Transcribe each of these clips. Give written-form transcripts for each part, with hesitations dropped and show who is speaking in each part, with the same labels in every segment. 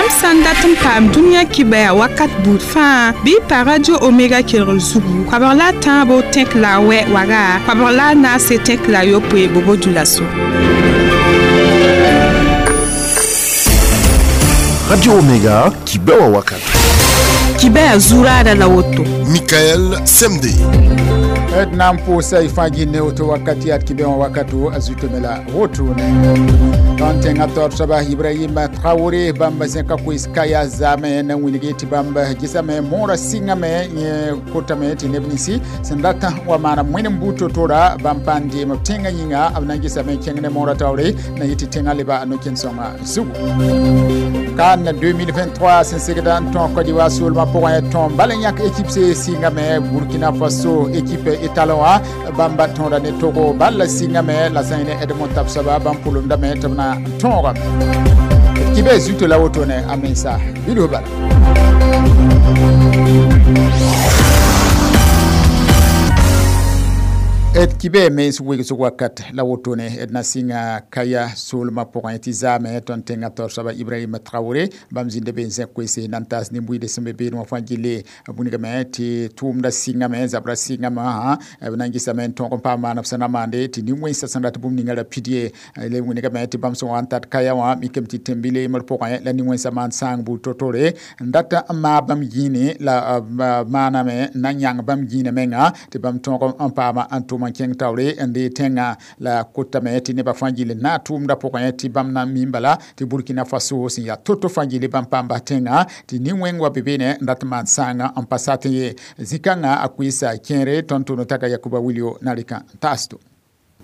Speaker 1: Yãmb sã n dat n paam dũniyã kibɛa wakat buud fãa bɩ y pa Radio Omega kelgr zugu koabg la a tãabo tẽk la a wɛ waga koabg la a naase tẽk la a yopoe bobo dulaso.
Speaker 2: Radio Omega kibɛa wakat.
Speaker 1: Kibɛa zuraada la woto.
Speaker 2: Michael Semde.
Speaker 3: D na n pʋʋsa y fãa gĩnne woto wakat yaa d kibẽ wã wakato a zutame la wotone. Tõnd tẽngã taoor soaba Ibrahim Traoré bãmb zẽka koees kaya zaame na wilgi tɩ bãmb gesame moorã sɩngame yẽ kotame tɩ neb ninsi sẽn dat wa maana wẽnd n buud to-tora bãmb pa n deem b tẽngã yĩnga b na n gesame kẽng ne moorã taoore na yɩ tɩ tẽngã leba no-kẽn-sõngã zugu. CAN 2023 sẽn segda n tõog Côte d'Ivoire soolmã pʋgẽ tõom bal n yãk équipe se sɩngame Burkina Faso équipe étalon wã bãmba tõoda ne Togo bal la sɩngame la sã n yẽ ne Edmond Tabsoba bãmb pʋlemdame tɩ b na n tõogame. D kibɛ zuto la wotone a mensa bilf bala. D kibɛ mens wegsg wakat la wotone d na sɩnga kaya soolmã pʋgẽ tɩ zaame tõnd tẽngã taoor soaba Ibrahim Traoré bãmb zĩnda be n zẽk koeese na n taas nin-buiide sẽn be beene wã fãa gilli bũnigame tɩ tʋʋmdã sɩngame zabrã sɩngame wã b na n gesame n tõog n paam maan b sẽn na maande tɩ nin-wẽnsã sẽn rat bũmb ninga ra pid ye le wĩnigame tɩ bãmb sẽn wa n tat kaya wã mikame tɩ tẽn-bile yembr pʋgẽ la nin-wẽnsã maan sãang buud to-tore n dat n maag bãmb gĩine la maaname n na n yãng bãmb gĩinã menga tɩ bãmb tõog n paama n tʋm n kẽng taoore n dee tẽngã la kotame tɩ nebã fãa gill n naag tʋʋmdã pʋgẽ tɩ bãmb na n mi bala tɩ Burkina Faso sẽn yaa to-to fãa gilli bãmb paam bas tẽngã tɩ nin-wẽng wa be beene n rat n maan sãanga n pa sat n ye zĩ-kãngã a koeesa kẽere tõnd tʋʋm taka Yakuba Wilio na rɩka n taas to.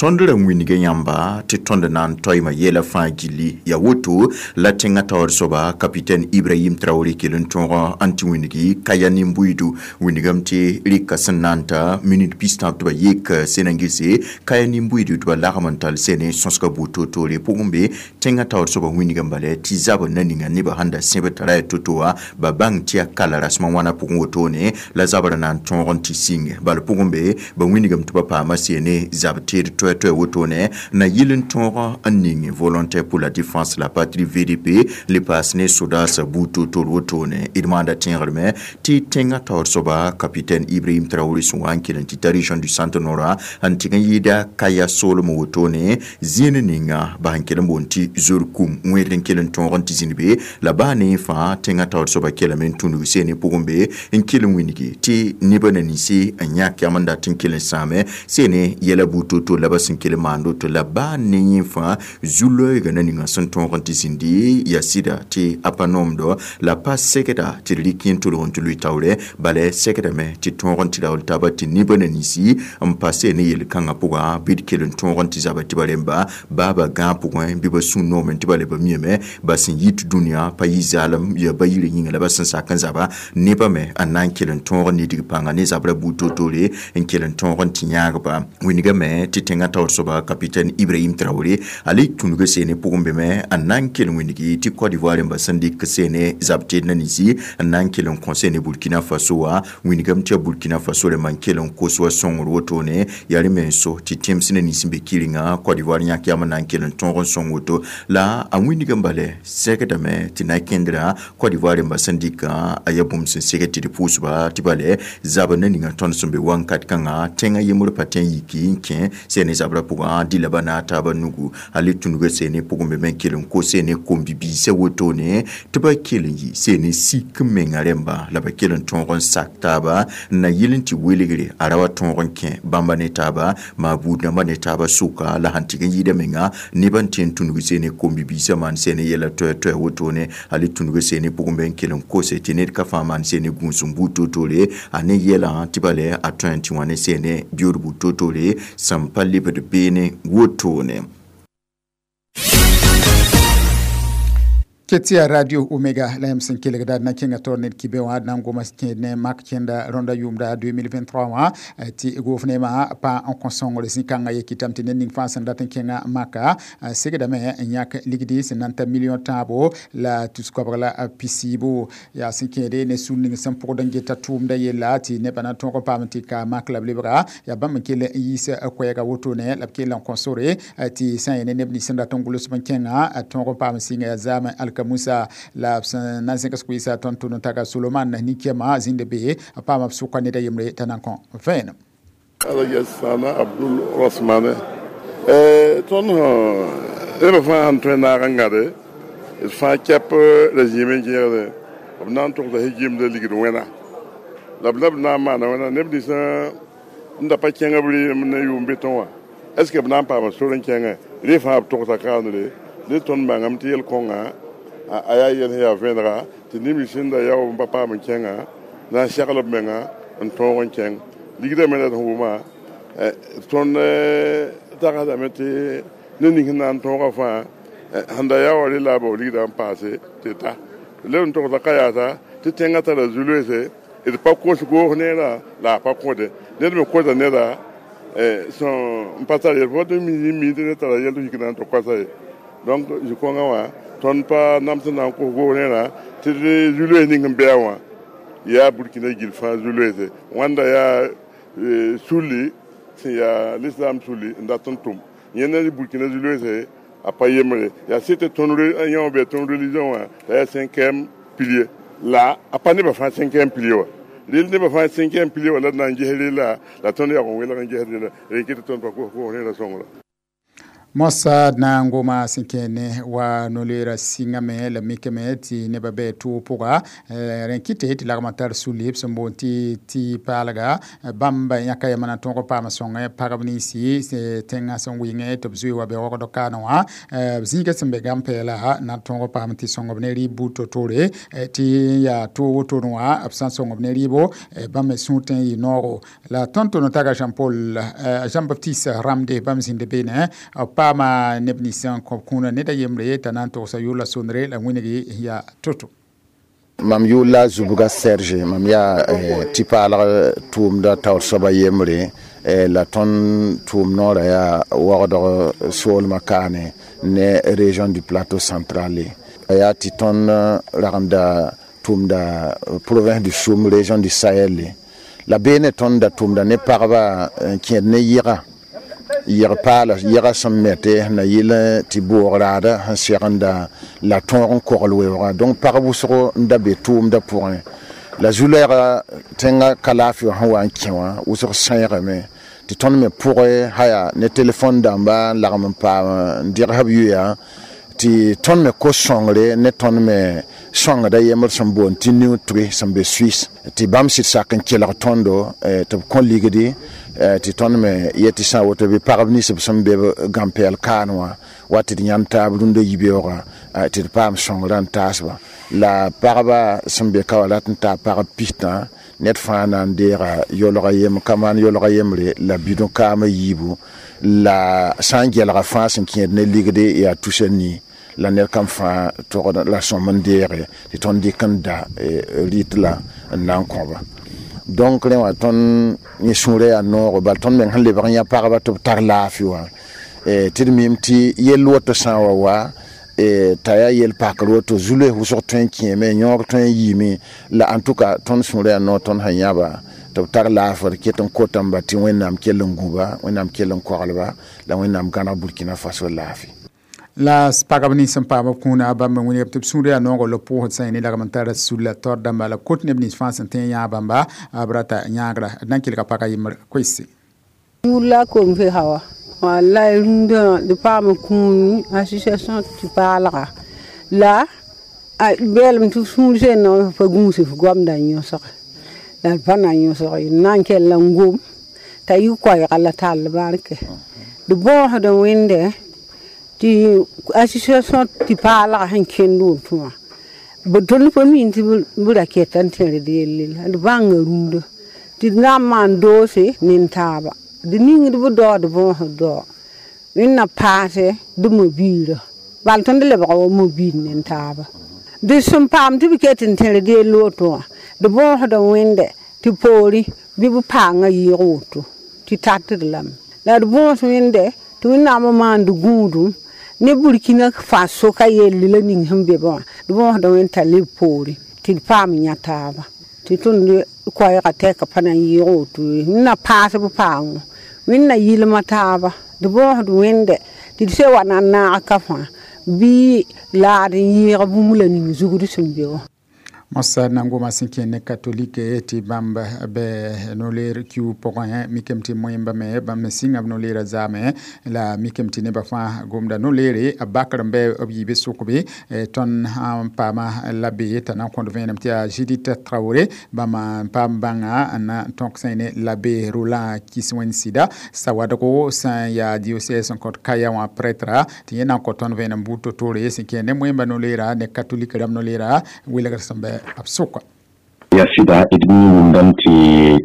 Speaker 4: Tõnd ra wĩnga yãmba tɩ tõnd na n toɩma yɛla fãa gilli ya woto la tẽngã taoor soaba capitaine Ibrahim Traoré kell n tõog n tɩ wĩngi kaya nin-buiidu wĩngame tɩ rɩka sẽn na n ta minute pistãb tɩ ba yek sẽn n gese kaya nin-buiidu tɩ ba lagm n tall sẽne sõsga buud to-toore pʋgẽ be tẽngã taoor soaba wĩngame bala tɩ zabr na ninga nebã sẽn da sẽb tara ya to-to wã ba bãng tɩ yaa kala rasmã wãna pʋgẽ wotone la zabrã na n tõog n tɩ sɩng bala pʋgẽ be ba wĩngame tɩ ba paama sene zab teed toɛ toɛ wotone na yɩl n tõog n ning volontaire pour la défense la patrie VDP le paas ne sodaasã buud to-toor wotone d maanda tẽegrme tɩ tẽngã taoor soaba capitaine Ibrahim Traoré sẽn wa n kell n tɩ ta région du centre nord n tɩg n yɩɩda kaya soolem wotone zĩen ninga ba sẽn kell n boond tɩ zor kum wẽed n kell n tõog n tɩ zĩnd be la baa ne fãa tẽngã taoor soaba kellame n tũnug sene pʋgẽ be n kell n wĩngi tɩ nebã na ninsi n yãk yam n dat n kell n sãame sene yɛla buud to-toor la ba sẽn kell n maand woto la baa ne yẽ fãa zu-loeega na ninga sẽn tõog n tɩ zĩndi yaa sɩda tɩ a pa noomdɔ la pa segda tɩ d rɩk yẽ n tolg n tɩ lʋɩ taoorɛ bala segdame tɩ tõog n tɩ raool taaba tɩ nebã na ninsi n pa see ne yel-kãngã pʋga bɩ d kell n tõog n tɩ zaba tɩ ba rẽmba baaba gãag pʋgẽ bɩ ba sũ noomẽ tɩ ba le ba miame ba sẽn yit dũniyã pa yɩ zaalem yaa ba yirã yĩnga la ba sẽn sak n zaba nebã me n na n kell n tõog n nidg pãnga ne zabrã buud to-toore n kell n tõog n tɩ yãagba wĩngame tɩ tẽngã taoor soaba capitaine Ibrahim Traoré a le tũnuga seene pʋgẽ be me n na n kell n wĩngi tɩ Côte d'Ivoire rẽmba sẽn dɩk seene zab teed na ninsi n na n kell n kõ seene Burkina Faso wã wĩngame tɩ yaa Burkina Faso rẽmba n kell n kos wa sõngr wotone yaa rẽ me n so tɩ tẽms na nins n be kɩrenga Côte d'Ivoire yãk yam n na n kell n tõog n sõng woto la a wĩngame bala segdame tɩ na kẽndrã Côte d'Ivoire rẽmba sẽn dɩkã a yaa bũmb sẽn seg tɩ d pʋʋsba tɩ bala zab na ninga tõnd sẽn be wãnkat kãngã tẽngã yembr pa tẽ n yiki n kẽ seene zabrã pʋgã dɩ la ba naag taabã nugu a le tũnuga seene pʋgẽ be me n kell n kos seene kom-bibiisã wotone tɩ ba kell n yɩ seene sik n menga rẽmba la ba kell n tõog n sak taaba n na yɩl n tɩ welgre a ra wa tõog n kẽ bãmba ne taaba maa buud dãmbã ne taaba sʋka la sẽn tɩg n yɩɩda menga nebã n tẽ n tũnug seene kom-bibiisã maan seene yɛla toɛ-toɛ wotone a le tũnuga seene pʋgẽ be n kell n kose tɩ ned ka fãa maan seene gũus n buud to-toore a ne yɛlã tɩ ba lɛ a tõe n tɩ wã ne seene biood buud to-toore sẽn pa lebd beene wotone.
Speaker 3: Ketia Radio Omega la yãmb sẽn kelgda d na kẽnga taoor ned kibẽ wã d na n goma kẽed ne mak kẽnda rõnda yʋʋmda 2023 wã tɩ goofnemã pa n kõ sõngr zĩ-kãngã ye kɩtame tɩ ned ning fãa sẽn dat n kẽngã maka segdame n yãk ligdi sẽn na n ta million tãabo la tus-koabg la pisiibo yaa sẽn kẽede ne sũur ning sẽn pʋgd n geta tʋʋmda yella tɩ nebã na tõog n paam tɩ ka mak la b lebga yaa bãmb n kell n yiis koɛɛga wotone la b kell n kõ sore tɩ sã n yẽ ne neb nins sẽn dat n gʋls n kẽngã tõog n paam sɩnga yaa zaam alka Musa la b na n zẽgs koeesa tõnd tʋʋm taga Soloman nin-kema zĩnd be a paama b sʋka ned a yembre t'a na n kõ vẽenem.
Speaker 5: Ala Sana Abdul Rasmane tõnd neb fãa sẽn tõe naag n gãde d fãa kɛp la zĩime n gẽegde b na n togsa gimda ligd wẽna la b la b na n maana wẽna neb nins n da pa kẽng b rɩɩm ne yʋʋm betẽ wã est ce que b na n paama sor n kẽngẽ rẽ fãa b togsa kaandre ne tõnd bãngame tɩ yel-kõnga a yaa yel sẽn yaa vẽnega tɩ neb nins sẽn da yao n pa paam n kẽngã na n segl b menga n tõog n kẽng ligdã me la d sẽn wʋma tõnd tagsdame tɩ ne ning sẽn na n tõoga fãa sẽn da yaa wa rẽ la a bao ligdã n paase tɩ ta leb n togsa ka yaasa tɩ tẽngã tara zu-loeese d pa kos goos neerã la a pa kõde ned me kosa neda sẽn pa tar yel fo tɩ mi tɩ ned tara yɛl tɩ yik na n tɩ koasa ye donc zu-kõngã wã tõnd pa nam sẽn na n kos goos neerã tɩ zu-loees ning sẽn bɩa wã yaa Burkina gill fãa zu-loeese wãnda yaa sulli sẽn yaa l'islam sulli n dat n tʋm yẽnda Burkina zu-loeese a pa yembre yaa sɩd tɩ tõnd yã bɩ tõnd religion wã la yaa cinquième pilier la a pa nebã fãa cinquième pilier wa rel nebã fãa cinquième pilier wa la d na n ges rela la tõnd yag n welg n ges rela rẽ kɩ tɩ tõnd pa kos rẽra sõngra.
Speaker 3: Mosa na n goma sẽn kẽene wa no-loeera sɩngame la mikame tɩ nebã bɩ tʋʋg pʋga rẽ kɩte tɩ lagmã tar sulli b sẽn boond tɩ tɩ paalga bãmb yãka yamã na tõog paam sõngẽ pagb ninsi tẽngã sẽn wɩngẽ tɩ b zoe wa be wagd kaane wã b zĩiga sẽn be gãn-pɛɛla na n tõog paam tɩ sõng b ne rɩɩb buud to-toore tɩ yaa toog wotone wã b sã n sõng b ne rɩɩbo bãmb me sũur tõe n yɩ noogo la tõnd tʋʋm taga Jean Paul Jean Baptiste Ramde bãmb zĩnd beene paama neb nins n kõ kũunã ned a yembre t'a na n togsa yʋʋr la sondre la wĩngi yaa to-to.
Speaker 6: Mam yʋʋr la Zubga Serge, mam yaa tɩ paalg tʋʋmda taoor soaba yembre la tõnd tʋʋm noorã yaa wagdg soolmã kaane ne région du Plateau central. Yaa tɩ tõnd ragenda tʋʋmda province du Soum, région du Sahel. La beene tõnd da tʋʋmda ne pagba n kẽed ne yɩga yɩg paala yɛga sẽn mete na yɩl tɩ boog raada sẽn segenda la tõog n kogl weoogã. Donc pag wʋsgo n da be tʋʋmdã pʋgẽ la zu-lɛɛga tẽngã ka laafɩ wã sẽn wa n kẽ wã wʋsg sẽegame tɩ tõnd me pʋgẽ haya ne telefon dãmba n lagm n paam n dɩgs b yoya tɩ tõnd me kos sõngre ne tõnd me sõngda yembr sẽn boond tɩ Nutri sẽn be Suisse tɩ bãmb sɩd sak n kelg tõndo tɩ b kõ ligdi tɩ tõnd me yet tɩ sã n woto bɩ pagb nins b sẽn be gãn-pɛɛl kaan wã wa tɩ d yãnd taab rũndã yibeoogã tɩ d paam sõngrã n taasba la pagba sẽn be ka wã rat n taa pagb pistã ned fãa na n deega yolga yem ka maan yolga yembre la bidõ kaamã yiibu la sã n gelga fãa sẽn kẽed ne ligde yaa tusa nii la ned kam fãa togd la sõm n deege tɩ tõnd dɩk n da rɩt la n na n kõba. Donc rẽ wã tõnd yẽ sũurã yaa noogo bala tõnd meng sẽn lebg n yã pagba tɩ b tar laafɩ wã tɩ d mim tɩ yell woto sã n wa wa t'a yaa yel pakr woto zu-loees wʋsg tõe n kẽeme yõog tõe n yiime la en tout cas tõnd sũurã yaa noog tõnd sẽn yãba tɩ b tar laafr ket n kotãmba tɩ Wẽnnaam kell n gũba Wẽnnaam kell n koglba la Wẽnnaam gãneg Burkina Faso laafɩ.
Speaker 3: La pagb nins sẽn paam b kũuna bãmb n wĩnigb tɩ b sũur yaa noogo la pʋʋsd sã ne lagm n tara sulla taoor dãmba la kot neb nins fãa sẽn tõe n yãag bãmba b rata yãagra d na n kelga pagã yembr koeese.
Speaker 7: Yʋʋr la Komfe Hawa wallahi rũndã d paam kũuni association tɩ paalga la beelem tɩ sũur sẽn pa gũus f goamda n yõsge la d pa na n yõsg ye na n kell n gom t'a yɩ koɛɛga la tall barke d bõosd n wẽnde tɩ association tɩ paalga sẽn kẽnd woto wã b tõnd pa min tɩ b ra keta n tẽred yelle la d bãnga rũndã tɩ d na n maan doose nin-taaba d ningd b dao d bõosd dao wẽnna paase d mobiirã bal tõnd lebga wa mobiir nin-taaba d sẽn paam tɩ b ket n tẽred yell woto wã d bõosd n wẽnde tɩ poorẽ bɩ b paangã yɩɩg woto tɩ tatd lame la d bõos wẽnde tɩ Wẽnnaam n maand gũudum ne Burkina Faso ka yelle la ning sẽn be wã d bõosd wẽnd t'a leb poorẽ tɩ d paam yã taaba tɩ tõnd koɛɛgã tɛka pa na n yɩɩg woto ye n na paas b paango wẽnna yɩlma taaba d bõosd wẽnde tɩ d se wa na n naag ka fãa bɩ La d n yɩɩg bũmb la ning zugd sẽn be wã.
Speaker 3: Mosa na sẽn kẽ ne katolike tɩ bãmb bɩ no-leer kiu pʋgẽ mikame tɩ moẽmba me bãmb sɩnga b no-leerã zaame la mikame tɩ nebã fãa gomda no-leere a bakr n bɩ b yiibẽ sʋkbe tõnd sã n paama la be t'a na n kõd vẽenem tɩ yaa Judith Traoré bãmb n paam bãnga n na tõk sã ne l'abbé Roland Kiswẽn Sɩda Sawadogo sã n yaa diocèse n kõt Kaya wã prêtre tɩ yẽ na n kõ tõnd vẽenem buud to-toore sẽn kẽ ne moẽmba no-leera ne katolik rãmb no-leera welgr sẽn bɩ absuka.
Speaker 8: Ya sɩda d mi wʋmdame tɩ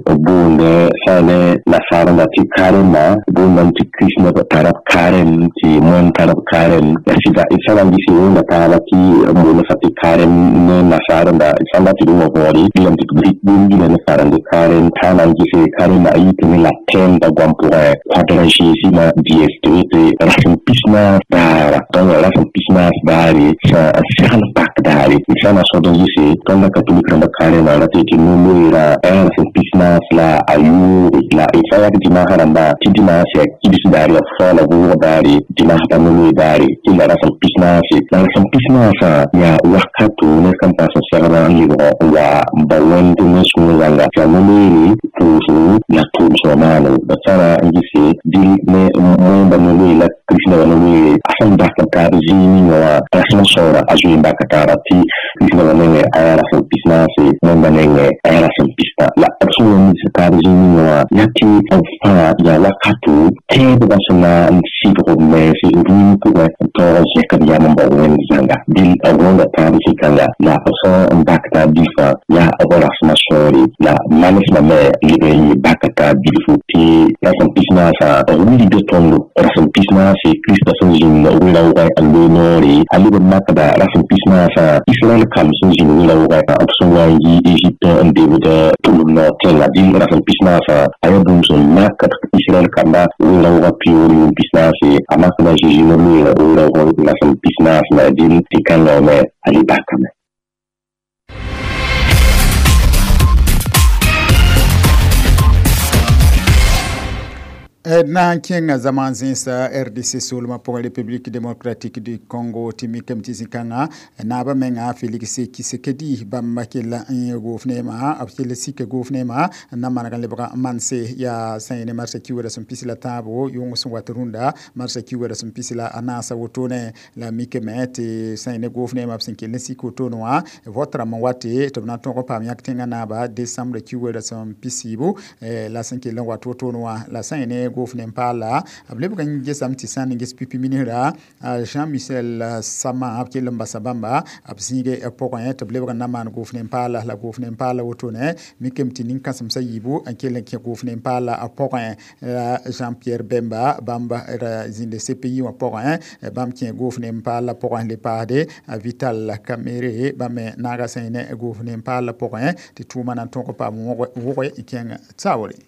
Speaker 8: b boonda sã ne nasaarã tɩ karema boondame tɩ kristneb tara b karem tɩ moan tara b karem ya sɩda d sã n gɩse wẽnda taaba tɩ b boonda tɩ karem ne nasaarẽnda sã n dat tɩ d wã võore gilame tɩ d rɩk bũmb gila ne farande karem t'a na n gɩse karema a yitame ne la tẽemda goam pʋgẽ quadragésima dies tɩ wete rasem pis-naas daara donc rasem pis-naas daare sã n segl pak daare d sã n na sõd n gɩse tõnda katolik rãmba karema la tɩ no-loeera rasem pis-naas la a yʋʋge la d sã n yak dimaasã rãmba tɩ dimaas yaa kibs daare yaa faoola vʋʋg daare dimaas pa no-loe daare tɩ la rasem pis-naase la rasem pis-naasã yaa wakato ned kam paas n segd n lebg n wa n ba wẽnd ne sũur zãnga tɩ yaa no-loeere pʋʋsgo la tʋʋm-sõma maano b sã n gɩse dɩl ne moẽmba no-loe la kristnebã no-loeere a sẽn bak n taab zĩig ninga wã rasmã sõora a zoe n baka taara tɩ kristnebã nengẽ a yaa rasem pis-naase moẽmba nengẽ a yaa rasem pis-tã la b sẽn wa nins taab zĩig ninga wã yaa tɩ b fãa yaa wakato tẽedbã sẽn na n sɩdg b mens rũim pʋgẽ n taoog n zẽk b yam n bao wẽnd zãnga dɩl b wẽnda taab zĩ-kãnga la b sẽn n bak taab bilfã yaa b rasmã sõore la manesmã me leb n yɩ baka taab bilfu tɩ rasem pis-naasã b wilgda tõndo rasem pis-naase Krista sẽn zĩnd wɩ-raoogẽ n loe noore a leb n makda rasem pis-naasã Israɛl kam sẽn zĩnd wɩ-raoogẽ b sẽn wa n yi Egypte n debd tʋlem noor tẽnga dɩl rasem pis-naasã a yaa bũmb sẽn makd Israɛl kamba wɩ-raoogã pioor yʋʋm pis-naase a makda Zeezi no-loeerã wɩ-raoogẽ rasem pis-naas me dɩl tɩ kãngã me a le bakame.
Speaker 3: Na n kẽnga zaman zẽnsa RDC soolmã pʋgẽ République démocratique du Congo tɩ mikame tɩ zĩ-kãngã naabã menga Félix Tshisekedi bãmb kell n goof neema b kell sika goof neema n na maneg n lebga n manse yaa sã yẽ ne marsã kiuuda sẽn pis la tãabo yʋng sẽn wat rũndã marsã kiuuda sẽn pis la a naasã wotone la mikame tɩ sã yẽ ne goof neema b sẽn kell n sik wotone wã vot rãmb n wate tɩ b na n tõg n paam yãk tẽngã naaba décembre kiuuda sẽn pis yiibu la sẽn kell n wat wotone wã la sã yẽ ne goof ne n paala b lebg n gesame tɩ sã n ges pipi ministra Jean-Michel Sama b kell n basa bãmba b zĩige pʋgẽ tɩ b lebg n na maan goof ne n paala la goof ne n paala wotone mikame tɩ nin-kãsemsã yiibu n kell n kẽ goof ne n paala a pʋgẽ la Jean-Pierre Bemba bãmb ra zĩnda CPI wã pʋgẽ bãmb kẽ goof ne n paala pʋgẽ le paasde Vital Kamerhe bãmb me naaga sã ne goof ne n paala pʋgẽ tɩ tʋʋma na n tõg n paam wʋge n kẽng taoore.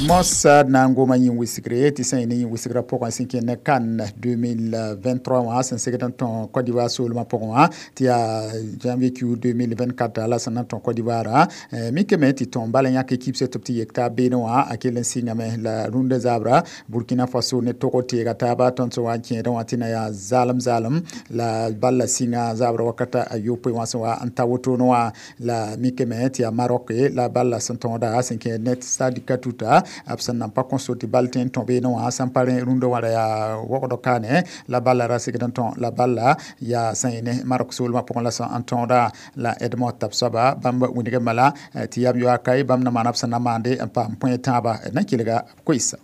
Speaker 3: Mossad na n goma yĩn wɩsgre tɩ sã n ne yĩn wɩsgrã pʋgẽ sẽn kẽ ne CAN 2023 wã sẽn segd n tõe Côte d'Ivoire soolmã pʋgẽ wã tɩ yaa janvier Q 2024 la sẽn na n tõe Côte d'Ivoire mikame tɩ tõe n bala yãk équipe tɩ b tɩ yek taab beene wã a kell n sɩngame la rũndã zaabra Burkina Faso ne Togo teega taaba tõnd sẽn wa n kẽedẽ wã tɩ na yaa zaalem zaalem la bal la sɩnga zaabra wakata a yopoe wã sẽn wa n ta wotone wã la mikame tɩ yaa Maroc la bal la sẽn tõoda sẽn kẽ net Stade Katuta b sẽn nan pa kõso tɩ bal tõe n tõ beene wã sẽn pa rẽ rũndã wã ra yaa wogd kaane la balla ra segd n tõ la balla yaa sã yẽ ne Maroc soolmã pʋgẽ la sẽn n tõoda la Edmond tab soaba bãmb wilgame bala tɩ yam yoa kae bãmb na maana b sẽn na maande n paam põe tãaba na kelga b koeesa.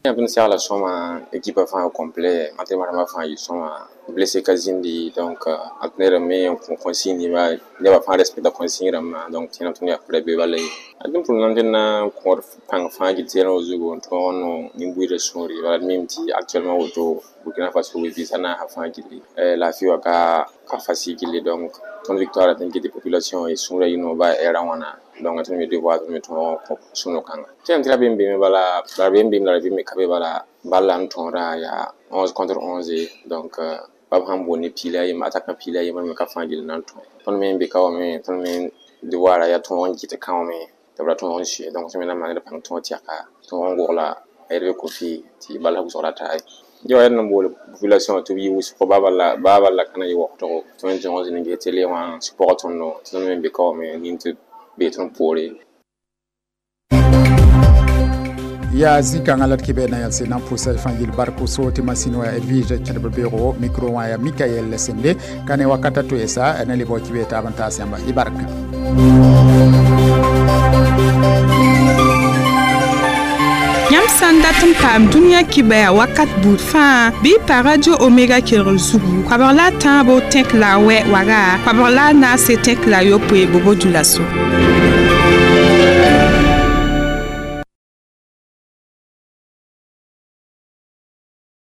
Speaker 9: Yãmb segla sõma équipe fãa complet entraînement rãmbã fãa yɩ sõma blessé ka zĩndi donc entraîneur me n kõ consigne nebã fãa respecta consigne rãmbã donc tẽedame tõnd yaa fʋra be bala ye d pʋʋl na tɩ na n kõod pãng fãa gil tẽedã zugu n tõog n no nin-buiidã sũuri bala d mim tɩ actuellement woto Burkina Faso visa naasã fãa gilli laafɩ wa ka facile gilli donc tõnd victoire tɩ n kɩ tɩ population y sũurã yɩ no ba ɛɛrã wãna donc tõnd me devoir tõnd me tõog n kõ sũ-no-kãnga tẽem tɩ ra bem beeme bala la bem beem la ra vɩ me ka be bala bal la n tõoda yaa 11 contre 11 donc bab sãn boond ne piila a yembre attaquant piila a yembre me ka fãa gill na n tõe tõnd me n be ka wa me tõnd me devoir yaa tõog n kɩt kãome tɩ b ra tõog n sue donc tõnd me na n maand pãng tõog tɛka tõog n gogla Hervé Kofi tɩ bala wʋsgra taa ye ya n boole population tɩ b yɩ wʋsg baa bala ka na yɩ waoogdo tõe n zõg zĩnd n ges télé wã sɩ pɔgɔ tõndo tɩ tõnd me be ka wame nin tɩ be tõnd poore.
Speaker 3: Ya zĩ-kãngã la d kɩ na yelse na n pʋʋsa fãa yɩl bark so tɩ masĩn wã Edwige kẽdb beoogo micro wã ya Mikael Sende ka ne wakata toeesa na le bao kɩ taab n taas yãmba y barka.
Speaker 1: Yãmb sã n dat n paam dũniyã kibaya wakat buud fãa bɩ pa Radio Omega kelgr zugu koabg la a tãabo tẽk la a wɛ waga koabg la a naase tẽk la a yopoe bobo dioulasso.